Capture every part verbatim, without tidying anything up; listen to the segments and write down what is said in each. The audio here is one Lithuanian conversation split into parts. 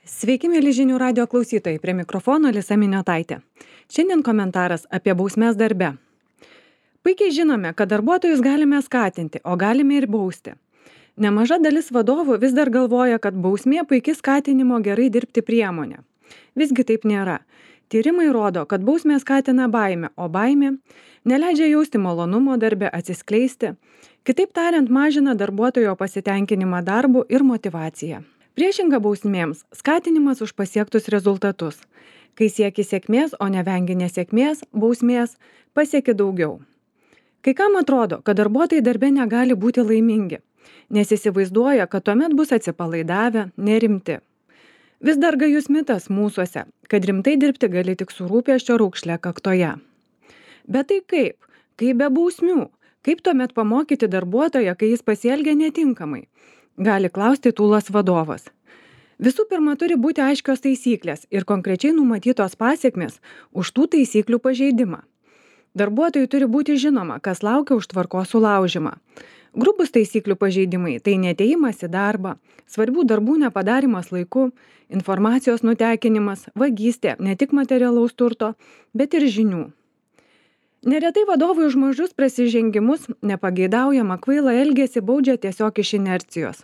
Sveiki, mėly žinių radio klausytojai, prie mikrofono Lisa Miniotaitė. Šiandien komentaras apie bausmes darbe. Puikiai žinome, kad darbuotojus galime skatinti, o galime ir bausti. Nemaža dalis vadovų vis dar galvoja, kad bausmė puikiai skatinimo gerai dirbti priemonė. Visgi taip nėra. Tyrimai rodo, kad bausmė skatina baimę, o baimė neleidžia jausti malonumo darbe, atsiskleisti. Kitaip tariant, mažina darbuotojo pasitenkinimą darbu ir motyvaciją. Priešinga bausmėms – skatinimas už pasiektus rezultatus. Kai sieki sėkmės, o nevengi nesėkmės, bausmės pasieki daugiau. Kai kam atrodo, kad darbuotojai darbe negali būti laimingi, nes įsivaizduoja, kad tuomet bus atsipalaidavę, nerimti. Vis dar gajus mitas mūsuose, kad rimtai dirbti gali tik su rūpesčio raukšle kaktoje. Bet tai kaip? Kaip be bausmių? Kaip tuomet pamokyti darbuotoją, kai jis pasielgia netinkamai? Gali klausti tūlas vadovas. Visų pirma, turi būti aiškios taisyklės ir konkrečiai numatytos pasiekmės už tų taisyklių pažeidimą. Darbuotojui turi būti žinoma, kas laukia už tvarkos sulaužimą. Grubus taisyklių pažeidimai – tai neatėjimas į darbą, svarbių darbų nepadarimas laiku, informacijos nutekinimas, vagystė ne tik materialaus turto, bet ir žinių. Neretai vadovai už mažus prasižengimus, nepageidaujamą kvailą elgesį baudžia tiesiog iš inercijos.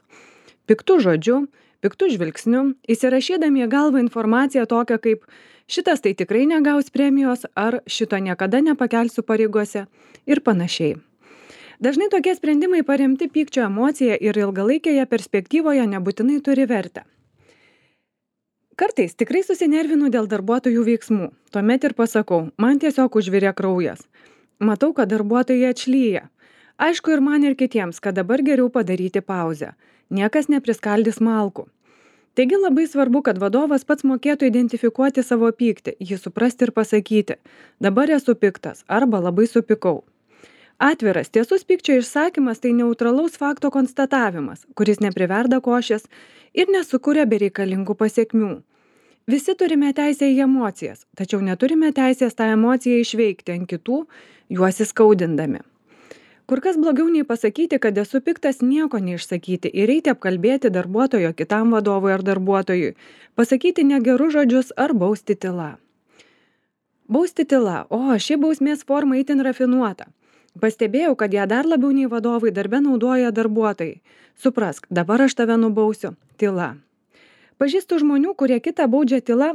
Piktų žodžiu, piktų žvilgsniu, įsirašydami į galvą informaciją tokią kaip šitas tai tikrai negaus premijos ar šito niekada nepakelsiu pareigose ir panašiai. Dažnai tokie sprendimai paremti pykčio emocija ir ilgalaikėje perspektyvoje nebūtinai turi vertę. Kartais tikrai susinervinu dėl darbuotojų veiksmų. Tuomet ir pasakau, man tiesiog užvirė kraujas. Matau, kad darbuotojai atšlyja. Aišku ir man ir kitiems, kad dabar geriau padaryti pauzę. Niekas nepriskaldys malkų. Taigi labai svarbu, kad vadovas pats mokėtų identifikuoti savo pyktį, jį suprasti ir pasakyti, dabar esu piktas arba labai supykau. Atviras, tiesus pykčio išsakymas tai neutralaus fakto konstatavimas, kuris nepriverda košės ir nesukuria bereikalingų pasiekmių. Visi turime teisę į emocijas, tačiau neturime teisės tą emociją išveikti ant kitų, juos įskaudindami. Kur kas blogiau nei pasakyti, kad esu piktas, nieko neišsakyti ir eiti apkalbėti darbuotojo kitam vadovui ar darbuotojui, pasakyti negerus žodžius ar bausti tyla. Bausti tyla, o ši bausmės forma itin rafinuota. Pastebėjau, kad ją dar labiau nei vadovai darbe naudoja darbuotojai. Suprask, dabar aš tave nubausiu. Tyla. Pažįstu žmonių, kurie kitą baudžia tyla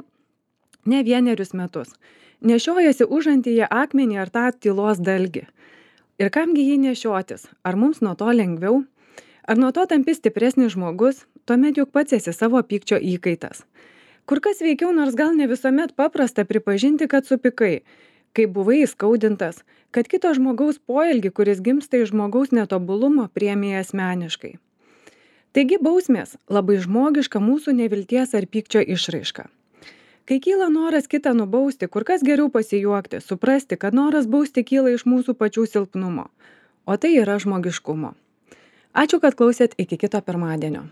ne vienerius metus. Nešiojasi užantyje akmenį ar tą tylos dalgį. Ir kamgi jį nešiotis? Ar mums nuo to lengviau? Ar nuo to tampi stipresnis žmogus? Tuomet juk pats esi savo pykčio įkaitas. Kur kas veikiau, nors gal ne visuomet paprasta pripažinti, kad supykai, kai buvai įskaudintas, kad kito žmogaus poelgį, kuris gimsta iš žmogaus netobulumo, priėmė asmeniškai. Taigi bausmės labai žmogiška mūsų nevilties ar pykčio išraiška. Kai kyla noras kitą nubausti, kur kas geriau pasijuokti, suprasti, kad noras bausti kyla iš mūsų pačių silpnumo, o tai yra žmogiškumo. Ačiū, kad klausėt, iki kito pirmadienio.